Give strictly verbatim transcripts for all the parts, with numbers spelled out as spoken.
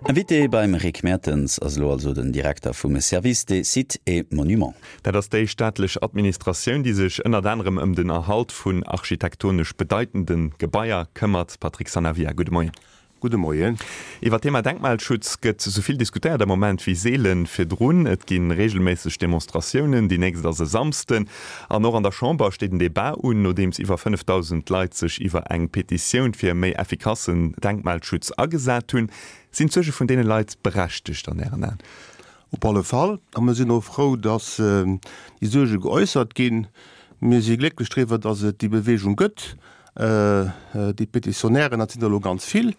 Invité beim Rick Mertens ass elo also den Direkter vum Service des Sites et Monuments. Dat ass déi staatlech Administratioun, déi sech ënnert anerem ëm den Erhalt vun architektonesch bedeitende Gebaier këmmert. Patrick Sanavia, gudde Moien. Gudde Moien. Iwwer d'Thema Denkmalschutz gëtt esou vill diskutéiert am Moment wéi seele virdrun. Et gi reegelméisseg Demonstratiounen, déi nächst ass e Samsden. An och an der Chamber steet en Debat un, nodeems iwwer fënnefdausend Leit sech iwwer eng Petitioun fir e méi effikassen Denkmalschutz agesat hunn. Sinn d'Suerge vun deene Leit berechtegt an Ären Aen? Op alle Fall. A mir sinn och frou, dass déi Suerge geäussert ginn. Mir si glécklech driwwer, dass et déi Beweegung gëtt. Déi Petitionnairen, dat sinn der elo ganz vill.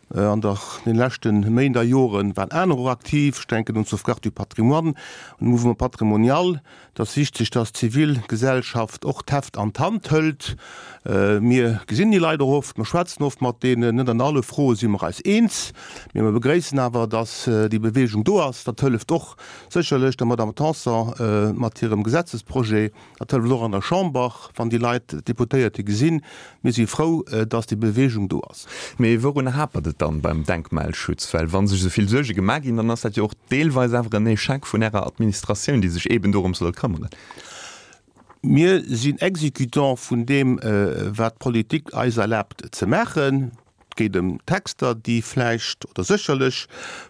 An der den leschte Méint a Jore waren aner och aktiv. Ech denken un d'Sauvegarde du patrimoine, un de Mouvement patrimonial. Et ass wichteg, dass d'Zivilgesellschaft och d'Heft an d'Hand hëlt. Mir gesinn déi Leit och oft, mer schwätzen oft mat deenen. Net an alle Froe si mer eis eens, mee mer begréissen awer, dass déi Beweegung do ass. Dat hëlleft och sécherlech der Madame Tanson mat hirem Gesetzesprojet. Dat hëlleft och an der Chamber, wann déi Leit d'Deputéierte gesinn. Mir si frou, dass déi Beweegung do ass. Mee wourun hapert et dann beim Denkmalschutz? Well wa sech esou vill Suerge gemaach ginn, dann ass dat jo och deelweis awer en Échec vun Ärer Administratioun, déi sech eeben dorëm soll këmmeren. Mir sinn Exécutant vun deem, wat d'Politik eis erlaabt ze maachen. Et geet ëm Texter, déi vläicht oder sécherlech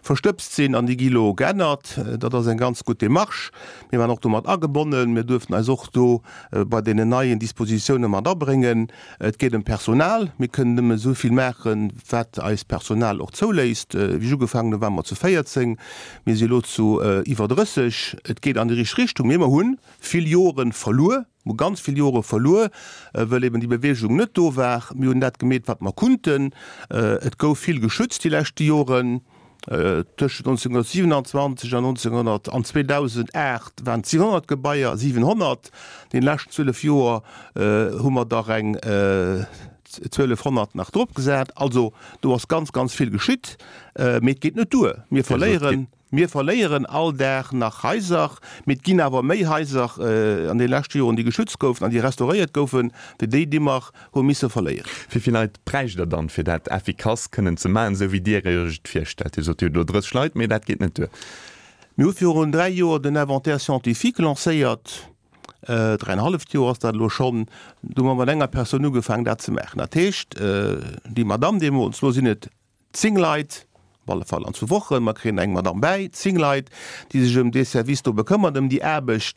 verstëbst sinn an déi gi lo geännert. Dat ass eng ganz gutt Démarche. Mir waren och do mat agebonnen. Mir duerften eis och do bei deenen neien Dispositioune mat abréngen. Et geet ëm d'Personal. Mir kënnen nëmme esou vill maachen, wat eist Personal och zouléisst. Wéi ech ugefaangen hunn, ware mer zu véierzéng. Mir si elo zu iwwer drësseg. Et geet an déi richteg Richtung, mee mer hunn vill Jore verluer. Mer hu ganz vill Jore verluer, wëll eben déi Beweegung net do war. Mir hunn dat gemeet, wat mer kunnten. Et gouf vill geschützt déi leschte Joren. Tëschent nonzénghunnertsiewenanzwanzeg an nonzénghonnert an zweedausendacht waren et siwenhonnert Gebaier, siwenhonnert! Deene leschten zwielef Joer hu mer der eng zwielefhonnert nach drop gesat. Also do ass ganz, ganz vill geschitt. Mee et geet net duer. Mir verléieren. Mir verléieren all Dag nach Haiser, mee et ginn awer méi Haiser an de leschte Joren, déi geschützt goufen an déi restauréiert goufen, wéi déi, déi mer hu misse verléieren. Wéi vill Leit bräicht Der dann, fir dat effikass kënnen ze maachen, esou wéi Dir Iech et virstellt? Dir sot, Dir hutt elo drësseg Leit, mee dat geet net duer. Mir hu virun dräi Joer den Inventaire scientifique lancéiert. Dräienhalleft Joer ass dat elo schonn. Do hu mer mat enger Persoun ugefaangen, dat ze maachen. Dat heescht, déi Madamm deemools, elo sinn et zéng Leit, op alle Fall an zwou Wochen, mer kréien eng Madamm bäi, zéng Leit, déi sech ëm dee Service do bekëmmert, ëm déi Aarbecht.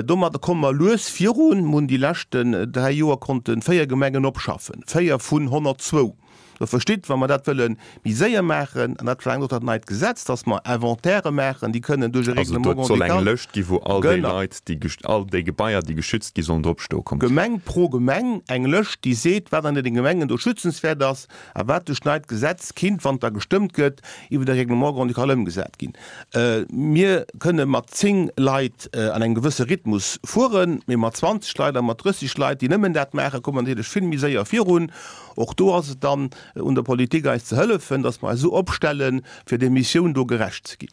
Domadder komme mer lues virun. Mer hunn déi leschten dräi Joer konnte véier Gemengen opschaffen, véier vun honnertzwou. Der verstitt, wa mer dat wëlle méi séier maachen, an dat verlaangt och dat neit Gesetz, dass mer Inventairë maachen, déi kënnen duerch e Also Règlement do soll eng grand-ducal. Lëscht gi wou all déi Genau. Leit, déi, all déi Gebaier, déi geschützt gi sollen drop stoe kommen. Gemeng pro Gemeng eng Lëscht, déi seet, wat an deene Gemengen do schützenswäert ass a wat duerch d'neit Gesetz kinnt, wann et da gestëmmt gëtt, iwwer e Règlement grand-ducal ëmgesat ginn. Mir kënne mat zéng Leit an engem gewësse Rhythmus fueren, mee mat zwanzeg Leit a mat drësseg Leit, déi nëmmen dat maachen, komme mer natierlech vill méi séier virun. Och do ass et dann un der Politik, eis ze hëllefen, dass mer eis esou opstellen, fir där Missioun do gerecht ze ginn.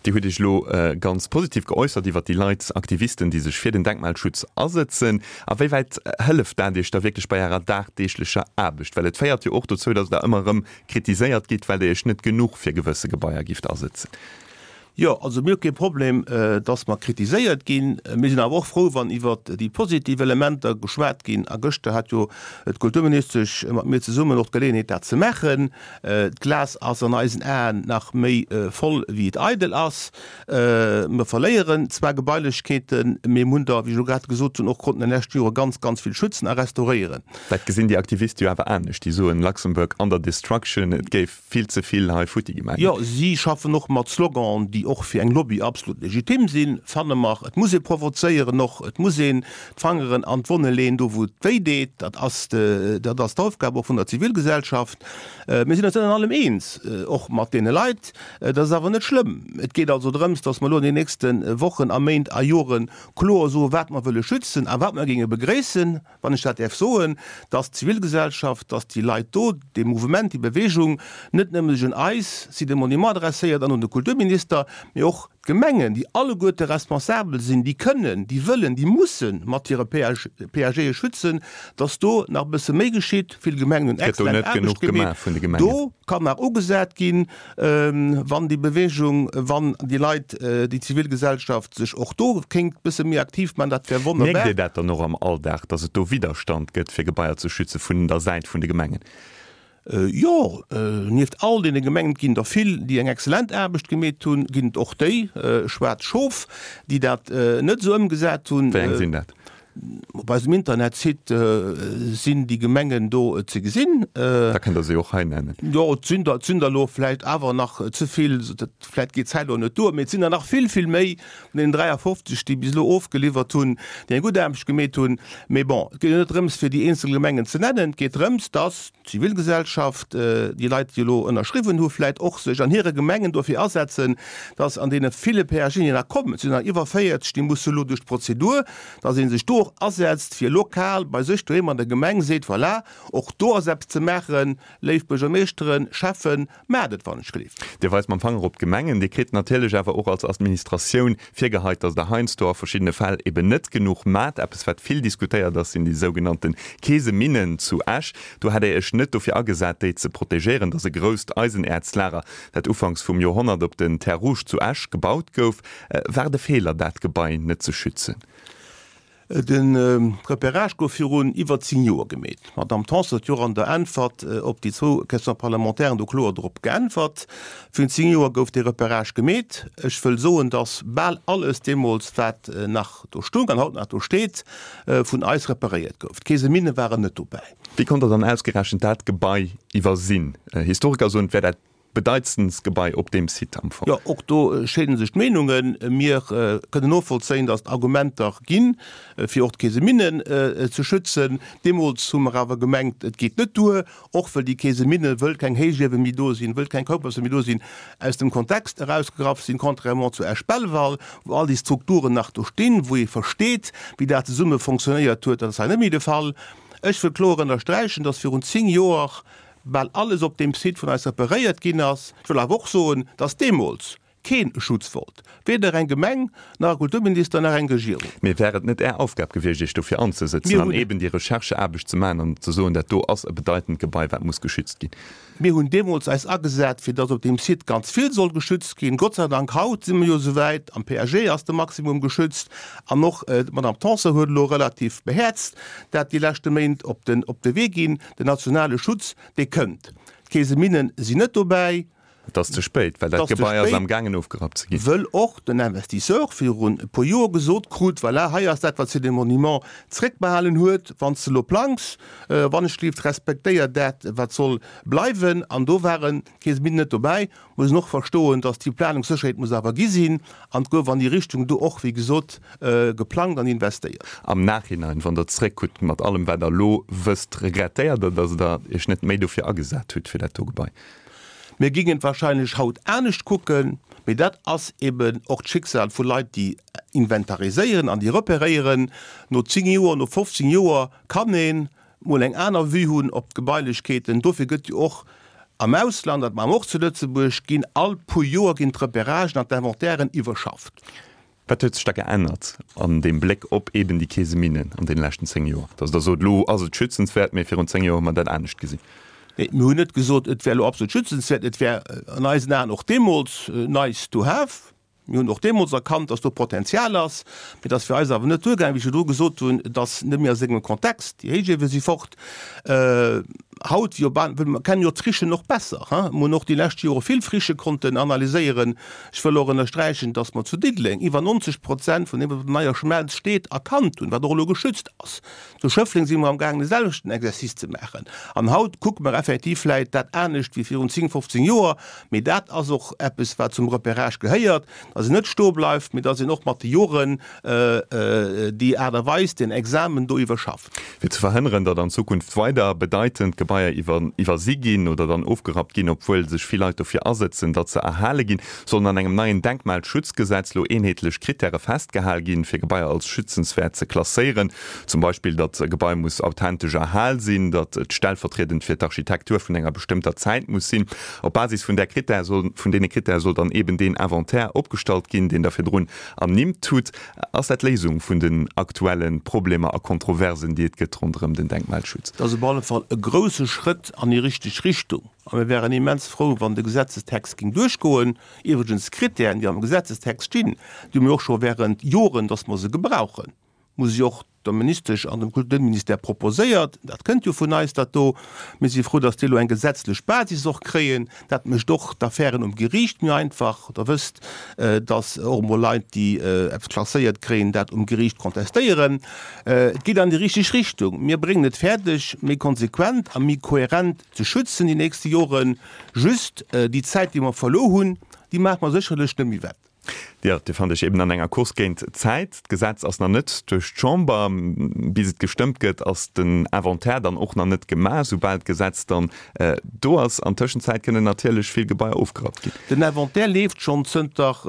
Dir hutt Iech elo ganz positiv geäussert iwwert déi Leit, Aktivisten, déi sech fir den Denkmalschutz asëtzen. A wéi wäit hëlleft dat Iech da wierklech bei Ärer dagdeeglecher Aarbecht? Well et féiert jo och dozou, datt Der ëmmer erëm kritiséiert gitt, well Der Iech net genuch fir gewësse Gebaier gifft asëtzen. Jo, also mir hu kee Problem, dass mer kritiséiert ginn. Mir sinn awer och frou, wann iwwert déi positiv Elementer geschwat ginn. A gëschter hat jo d'Kulturministesch mat mir zesummen och d'Geleeënheet, dat ze maachen. D'Glas ass an eisen Aen nach méi voll, wéi et eidel ass. Mer verléieren zwar Gebailechkeeten, mee mir hunn der, wéi ech elo grad gesot hunn, och konnten an de leschte Jore ganz, ganz vill schützen a restauréieren. Dat gesinn déi Aktiviste jo awer anescht. Déi soen, Luxembourg under destruction, et géif vill ze vill hei futti gemaach ginn. Jo, si schaffen och mat Sloganen, déi och fir eng Lobby absolut legitim sinn, fanne mer. Et muss ee provozéieren och, et muss een d'Fangeren an d'Wonne leeën, do wou et wéi deet. Dat ass, dat ass d'Aufgab och vun der Zivilgesellschaft. Mir sinn eis net an allem eens, och mat deene Leit. Dat ass awer net schlëmm. Et geet also drëms, datt mer elo an den nächste Wochen a Méint a Jore kloer soen, wat mer wëlle schützen a wat mer géinge begréissen. wann ech dat däerf soen, dass d'Zivilgesellschaft, dass déi Leit do, dee Mouvement, déi Bewegung net nëmme sech un eis, Sites et Monuments, adresséiert an un de Kulturminister, mee och d'Gemengen, déi alleguerte responsabel sinn, déi kënnen, déi wëllen, déi musse mat hire PAGe schützen, dass do nach e bësse méi geschitt. Vill Gemengen hunn exzellent Aarbecht gemeet. Do kann nach ugesat ginn, wann déi Bewegung, wann déi Leit, déi Zivilgesellschaft sech och do kéint e bësse méi aktiv maachen, dat wär wonnerbar. Mierkt Dir dat dann och am Alldag, dass et do Widderstand gëtt, fir Gebaier ze schützen, vun der Säit vun de Gemengen? Jo, nieft all deene Gemengen, et ginn der vill, déi eng exzellent Aarbecht gemeet hunn, ginn et och déi, schwaarz Schof, déi dat net esou ëmgesat hunn. Wéi eng sinn dat? Op eisem Internetsite sinn déi Gemengen do ze gesinn. Da kënnt Der se och hei nennen. Jo, et sinn der, et sinn der elo vläicht awer nach ze vill, vläicht geet d'Zäit elo net duer, mee et sinn der nach vill, vill méi vun deenen dräiafofzeg, déi bis elo ofgeliwwert hunn, déi eng gutt Aarbecht gemeet hunn. Mee bon, et geet jo net drëms, fir déi eenzel Gemengen ze nennen, et geet drëms, dass d'Zivilgesellschaft, déi Leit, déi elo ënnerschriwwen hu vläit och sech an hire Gemengen dofir asetzen, dass an deene ville PAGen, déi nach kommen, et sinn der iwwer véierzeg, déi musse elo duerch d'Prozedur, dass ee sech do och asetzt, fir lokal bei sech doheem an der Gemeng seet, voilà, och do ass eppes ze maachen, léif Buergermeeschteren, Schäffen, maacht et wann ech gelift. Dir weist mam Fanger op d'Gemengen. Dir kritt natierlech awer och als Administratioun virgeheit, dass Der heiansdo a verschiddene Fäll eben net genuch maacht. Eppes, wat vill diskutéiert ass, sinn déi sougenannte Keeseminnen zu Esch. Do hätt Der Iech net dofir agesat, déi ze protegéieren. Dat ass e grousst Eisenäerzlager, dat ufanks vum Joerhonnert op den Terres Rouges zu Esch gebaut gouf. War et e Feeler, dat Gebai net ze schützen? De Repérage gouf virun iwwer zéng Joer gemeet. D'Madamm Tanson huet jo och an der Äntwert op déi zwou Question-parlementairen do kloer drop geäntwert. Virun zéng Joer gouf dee Repérage gemeet. Ech wëll soen, datt bal alles deemools, wat nach do stoung an haut nach do steet, vun eis reparéiert gouf. D'Keeseminne waren net dobäi. Wéi konnt Der dann ausgerechent dat Gebai iwwersinn? Historiker soen, et wär dat bedeitendst Gebai op deem Site am Fong. Jo, och do scheede sech d'Meenungen. Mir kënnen novollzéien, datt et Argumenter ginn, fir och d'Keeseminnen ze schützen. Deemools hu mer awer gemengt, et geet net duer, och wëll déi Keeseminne, wëll keng Héichiewe méi do sinn, wëll keng Koupasse méi do sinn, aus dem Kontext erausgegraff sinn, contrairement zu Esch-Belval, wou all déi Strukturen nach do stinn, wou ee versteet, wéi dat zesumme fonctionnéiert huet. Dat ass hei net méi de Fall. Ech wëll kloer ënnersträichen, dass virun zéng Joer bal alles op deem Site vun eis reparéiert ginn ass. Ech wëll awer och soen, dass deemools keen e Schutz wollt, weder eng Gemeng, nach e Kulturminister, nach eng Regierung. Mee wär et net Är Aufgab gewiescht, Iech dofir anzesëtzen an eeben déi Rechercheaarbecht ze maachen an ze soen, dat do ass e bedeitend Gebai, wat muss geschützt ginn? Mir hunn deemools eis agesat, fir dass op deem Site ganz vill soll geschützt ginn. Gott sei Dank, haut si mer jo esouwäit, am P A G ass de Maximum geschützt an och d'Madame Tanson huet elo relativ behäerzt dat déi leschte Méint op den op de Wee ginn. Den nationale Schutz, dee kënnt. D'Keeseminnen sinn net dobäi. Et ass ze spéit, well dat Gebai ass am gaangen ofgerappt ze ginn. Wëll och den Investisseur virun e puer Joer gesot krut, Voilà, hei ass dat, wat Cité des Monuments zréckbehalen huet, wann s de elo plangs, wannechgelift, respektéier dat, wat soll bleiwen. An do waren d'Keeseminnen net dobäi. Muss een och verstoen, datt déi Planungssécherheet muss awer gi sinn. An et gouf an déi Richtung do och, wéi gesot, geplangt an investéiert. Am Nachhinein, wann Der zréckkuckt, mat allem, wat Der elo wësst, regrettéiert Der, datt Der Iech net méi dofir agesat hutt, fir dat do Gebai? Mir géingen et wahrscheinlech haut anescht kucken, mee dat ass eben och d'Schicksal vu Leit, déi inventariséieren an déi repéréieren. No zéng Joer, no fofzéng Joer kann ee mol eng aner Vue hunn op d'Gebailechkeeten. Dofir gëtt jo och am Ausland, dat maache mer och zu Lëtzebuerg, ginn all puer Joer ginn d'Repéragen an d'Inventairen iwwerschafft. Wat huet sech da geännert an deem Bléck op eben déi Keeseminnen an deene leschten zéng Joer, datt Der sot, elo ass et schützenswäert, mee virun zéng Joer hu mer dat anescht gesinn? Nee, mir hunn net gesot, et wär elo absolut schützenswäert. Et wär an eisen Aen och deemools nice to have. Mir hunn och deemools erkannt, datt do Potenzial ass. Mee et ass fir eis awer net duergaangen, wéi ech virdru gesot hunn, et ass net méi a sengem Kontext. Déi Héichiewe si fort. Haut, jo, well mer kennen jo d'Frichen och besser, hein. Mer hunn och déi lescht Jore vill Frichë konnten analyséieren. Ech wëll och ënnersträichen, datt mer zu Diddeleng iwwer neunzeg Prozent vun deem, wat op der Neier Schmelz steet, erkannt hunn, wat och elo geschützt ass. Zu Schëffleng si mer am gaangen de selwechten Exercice ze maachen. An haut kucke mer effektiv vläit dat anescht wéi virun zéng, fofzéng Joer. Mee dat ass och eppes, wat zum Repérage gehéiert, dass een net stoe bleift, mee dass een och mat de Joren déi Aart a Weis, deen Examen do iwwerschafft. Fir ze verhënneren, datt an Zukunft weider bedeitend Gebaier iwwer, iwwersi ginn oder dann ofgerappt ginn, obwuel sech vill Leit dofir asëtzen, datt se erhale ginn. Sollen an engem neien Denkmalschutzgesetz lo eenheetlech Krittäre festgehal ginn, fir Gebaier als schützenswäert ze klasséieren? Zum Beispill, datt e Gebai muss authentesch erhal sinn, datt et stellvertriedend fir d'Architektur vun enger bestëmmter Zäit muss sinn. Op Basis vun där Krittär soll, vun deene Krittäre soll dann eeben deen Inventaire opgestallt ginn, deen Der virdrun ernimmt hutt. Ass dat d'Léisung vun den aktuelle Problemer a Kontroversen, déi et gëtt ronderëm den Denkmalschutz? Dat ass op alle Fall e grouse Schrëtt an déi richteg Richtung a mir wären immens frou, wann de Gesetzestext géing duerchgoen. Iwwregens, d'Kritären, déi am Gesetzestext stinn, déi hu mir och scho während Joren, dass mer se gebrauchen, muss ech och der Ministesch an dem Kulturministère proposéiert. Dat kënnt jo vun eis, dat do. Mir si frou, dass déi elo eng gesetzlech Basis och kréien. Dat mécht och d'Affären um Geriicht méi einfach. Der wësst, dass och emol Leit, déi eppes klasséiert kréien, dat um Geriicht kontestéieren. Et geet an déi richteg Richtung. Mir bréngen et fäerdeg, méi konsequent a méi kohärent ze schützen déi nächste Joren. Just déi Zäit, déi mer verluer hunn, déi maache mer sécherlech net méi wett. Jo, Dir fannt Iech eben an enger Course géint d'Zäit. D'Gesetz ass nach net duerch d'Chamber. Bis et gestëmmt gëtt, ass den Inventaire dann och nach net gemaach. Soubal d'Gesetz dann do ass, an Tëschenzäit kënnen natierlech vill Gebaier ofgerappt ginn. Den Inventaire leeft schonn zënter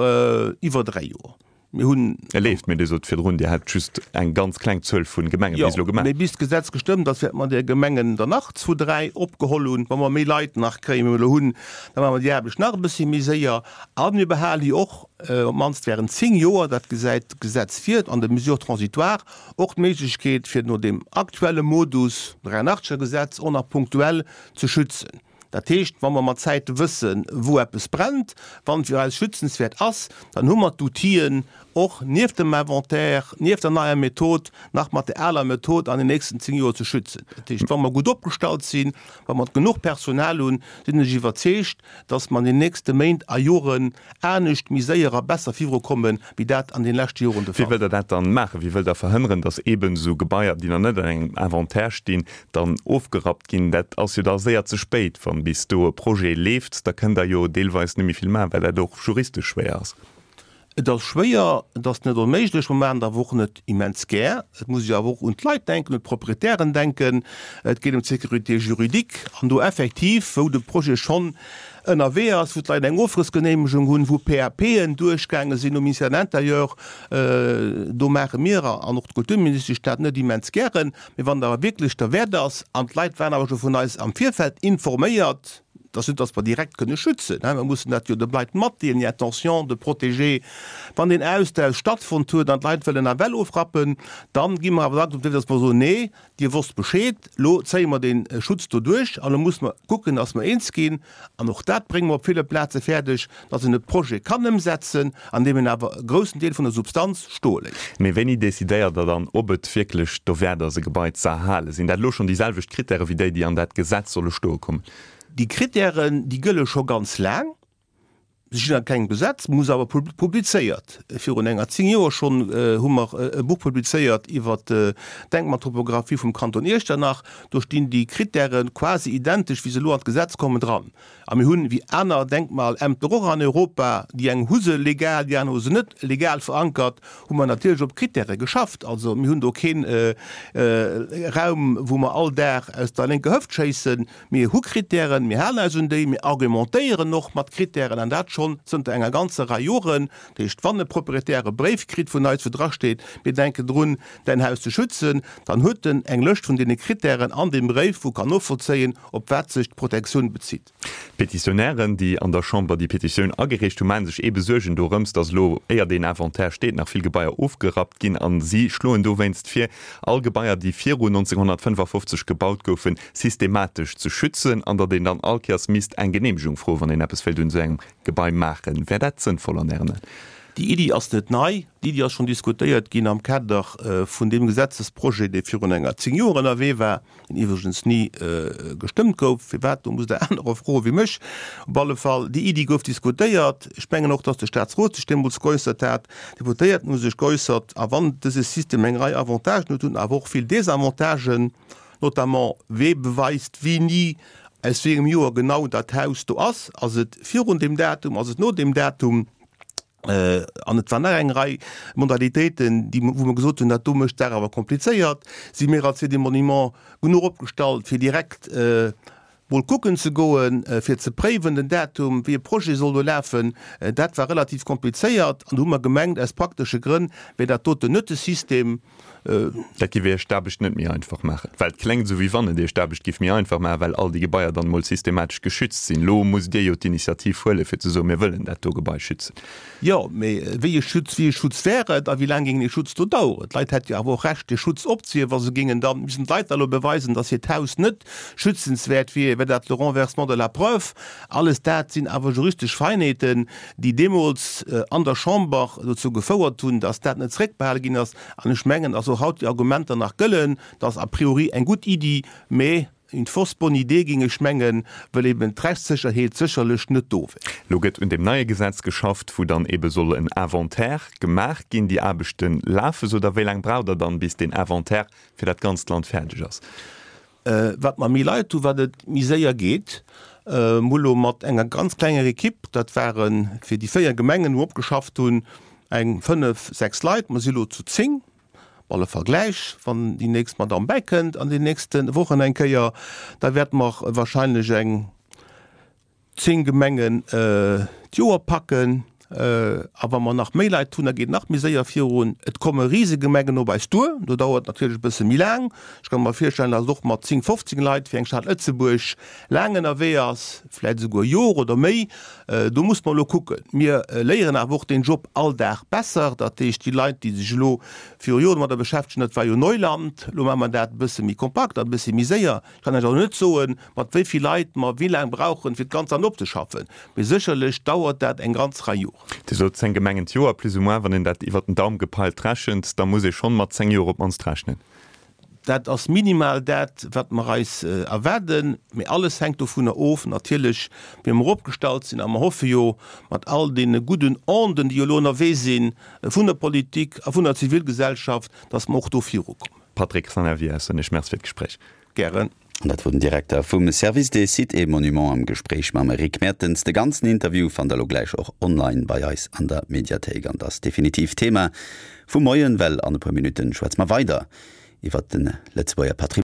iwwer dräi Joer. Mir hunn. E leeft, mee Dir sot virdrun, Dir hätt just eng ganz kleng Zuel vu Gemenge bis elo gemaach. Jo, mee bis d'Gesetz gestëmmt ass, wäerte mer där Gemengen der nach zwou, dräi opgeholl hunn. Wa mer méi Leit nach kréien, wéi mer elo hunn, da maache mer déi Aarbecht nach e bëssi méi séier. A mir behalen jo och, op d'mannst während zéng Joer, dat gesäit d'Gesetz vir an de Mesures transitoires, och d'Méiglechkeet, fir no deem aktuelle Modus, dräiannachtzeger Gesetz, och nach punktuell ze schützen. Dat heescht, wa mer mat Zäite wëssen, wou eppes brennt, wann et fir eis schützenswäert ass, dann hu mer d'Outill'en och nieft dem Inventaire, nieft der neier Method, nach mat der aler Method an den nächsten zéng Joer ze schützen. Dat heescht, wa mer gutt opgestallt sinn, wa mer genuch Personal hunn, sinn ech iwwerzeegt, dass mer an den nächste Méint a Joren anescht, méi séier a besser virukommen, wéi dat an den leschte Joren de Wéi Fall wëllt Der dat dann maachen? Wéi wëllt Der verhënneren, dass eeben esou Gebaier, déi nach net an engem Inventaire stinn, dann ofgerappt ginn? Dat ass jo da séier ze spéit. Wann bis do e Projet leeft, da kënnt Der jo deelweis net méi vill maachen, well dat och juristesch schwéier ass. Et ass schwéier, et ass net onméiglech, mer maachen et awer och net immens gär. Et muss ee jo awer och un d'Leit denken, un d'Proprietären denken. Et geet ëm d'Sécurité juridique an do effektiv, wou de Projet schonn ënnerwee ass, wou d'Leit eng Ofrëssgeneemegung hunn, wou PAPen duerchgaange sinn um Ministère de l'Intérieur, do maache mir an och d'Kulturministesch dat net immens gären. Mee wann et awer wierklech derwäert ass, an d'Leit waren awer scho vun eis am Virfeld informéiert, et ass net, datt mer direkt kënne schützen, mä mer mussen dat jo de Leit matdeelen, déi Intention de protéger, wann deen Austausch stattfonnt huet an d'Leit wëllen nawell ofrappen, dann gi mer awer dacks op de Wee, datt mer soen, nee, Dir wosst Bescheed, lo zéie mer dee Schutz do duerch an lo musse mer kucken, dass mer eens ginn, an och dat brénge mer op ville Plaze fäerdeg, dass een e Projet kann ëmsetzen, an deem een awer e groussen Deel vun der Substanz stoe léisst. Mee wéini decidéiert Der dann, ob et wierklech dowäert ass, e Gebai ze erhalen? Sinn dat elo schonn déi selwecht Krittäre wéi déi, déi an dat Gesetz solle stoe kommen? Déi Krittären, déi gëlle scho ganz laang. Se stinn a kengem Gesetz, muss awer publizéiert. Virun enger zéng Joer schonn hu mer e Buch publizéiert iwwer d'Denkmaltopographie vum Kanton Iechternach. Do stinn déi Krittäre quasi identesch, wéi se elo an d'Gesetz kommen, dran. A mir hunn, wéi aner Denkmalämter och an Europa, déi eng hu se legal, déi aner hu se net legal verankert, hu mer natierlech op Krittäre geschafft. Also mir hunn do kee Raum, wou mer all Dag aus der lénker Hëft schéissen. Mir hu Krittären, mir halen eis un déi, mir argumentéieren och mat Krittären, an dat schonn zënter enger ganzer Rei Joren. Dat heescht, wann e Proprietär e Bréif kritt vun eis, wou drasteet, mir denken drun, däin Haus ze schützen, dann huet en eng Lëscht vun deene Krittären an deem Bréif, wou kann novollzéien, op wat sech d'Protektioun bezitt. D'Petitionnairen, déi an der Chamber déi Petitioun agereecht hunn, maache sech eebe Suergen dorëms, datt elo, éier deen Inventaire steet, nach vill Gebaier ofgerappt ginn. A si schloen dowéinst vir, all Gebaier, déi viru nonzénghonnertfënnefafofzeg gebaut goufen, systematesch ze schützen an datt een dann all Kéiers misst eng Geneemegung froen, wann een eppes wéilt un esou engem Gebai maachen. Wär dat sënnvoll an Ären Aen? Déi Iddi ass net nei. Déi Iddi ass schonn diskutéiert ginn am Kader vun deem Gesetzesprojet, dee virun enger zéng Joer ënnerwee war, deen iwwregens ni gestëmmt gouf. Firwat, do musst Der anerer froe wéi mech. Op alle Fall, déi Iddi gouf diskutéiert. Ech mengen och, datt de Statsrot sech deemools geäussert hat. D'Deputéierten hu sech geäussert. A wann dëse System eng Rei Avantagen huet, huet en awer och vill Désavantagen. Notamment, wee beweist wéini, aus wéi engem Joer genau dat Haus do ass? Ass et virun deem Datum, ass et no deem Datum? An et war nach eng Rei Modalitéiten, déi, wou mer gesot hunn, dat do mécht d'Saach awer komplizéiert. Si mir als Sites et Monuments genuch opgestallt, fir direkt mol kucken ze goen, fir ze préiwen den Datum, wéi e Projet soll do lafen. Dat war relativ komplizéiert an do hu mer gemengt, aus praktesche Grënn wär dat doten net de System. Dat géif Iech d'Aarbecht net méi einfach maachen? Well et kléngt esou, wéi wann et Iech d'Aarbecht géif méi einfach maachen, well all déi Gebaier dann emol systematesch geschützt sinn. Elo musst Dir jo d'Initiativ huelen, fir ze soen, mir wëllen dat do Gebai schützen. Jo, mee wéi e Schutz, wéi e Schutz wär et a wéi laang géing dee Schutz do daueren? D'Leit hätte jo awer och Recht, dee Schutz opzehiewen, wa se géingen dann, missten d'Leit da elo beweisen, datt hiert Haus net schützenswäert wier, wär dat le renversement de la preuve. Alles dat sinn awer juristesch Feinheeten, déi deemools an der Chamber dozou gefouert hunn, datt dat net zréckbehale ginn ass. An ech mengen, datt och haut déi Argumenter nach gëllen, dat ass a priori eng gutt Iddi, mä une fausse bonne idée, géing ech mengen, well eben d'Rechtssécherheet sécherlech net do wär. Elo gëtt un deem neie Gesetz geschafft, wou dann ebe soll en Inventaire gemaach ginn. Déi Aarbechte lafe sou. Da wéi laang braucht Der dann, bis deen Inventaire fir dat ganzt Land fäerdeg ass? Wat mer méi Leit hu, wat et méi séier geet. Mir hu lo mat enger ganz klenger Ekipp, dat ware fir déi véier Gemengen, wou mer opgeschafft hunn, eng fënnef, sechs Leit. Mer si lo zu zéng, op alle Fall gläich, wann déi nächst Madamm bäikënnt an den nächste Wochen eng Kéier, da wäerte mer wahrscheinlech eng zéng Gemengen d'Joer packen. A wa mer nach méi Leit hunn, da geet et nach méi séier virun. Et komme Risegemengen op eis duer, do dauert et natierlech e bësse méi laang. Ech ka mer virstellen, datt et och mat zéng, fofzéng Leit fir eng Stad Lëtzebuerg laang ënnerwee ass, vläicht esouguer e Jor oder méi. Do muss mer elo kucken. Mir léieren awer och deen Job all Dag besser. Dat heescht, déi Leit, déi sech elo viru Joren domadder beschäftegen, dat war jo Neuland, elo maache mer dat e bësse méi kompakt an e bësse méi séier. Ech kann lech also net soen, mat wéi vill Leit mer wéi laang brauchen, fir d'ganz Land opzeschaffen, mee sécherlech dauert dat eng ganz Rei Joren. Dir sot zéng Gemengen d'Joer, plus ou moins, wann een dat iwwert den Daum gepeilt rechent, da muss ee schonn mat zéng Joer op d'mannst rechnen. Dat ass minimal dat, wat mer eis erwaarden, mee alles hänkt dovunner of natierlech, wéi mer opgestallt sinn. A mer hoffe jo mat all deene gudden Onden, déi elo ënnerwee sinn, vun der Politik a vun der Zivilgesellschaft, dass mer och do virukommen. Patrick Sanavia, soen ech Merci fir d'Gespréich. Gären. An dat wor den Direkter vum Service des Sites et Monuments am Gespréich mam Rick Mertens. De ganzen Interview fannt der elo gläich och online bei eis an der Mediathéik. An dat ass definitiv Thema vum Moien, well an e puer Minutten schwätze mer weider iwwert de Lëtzebuerger Patrimoine.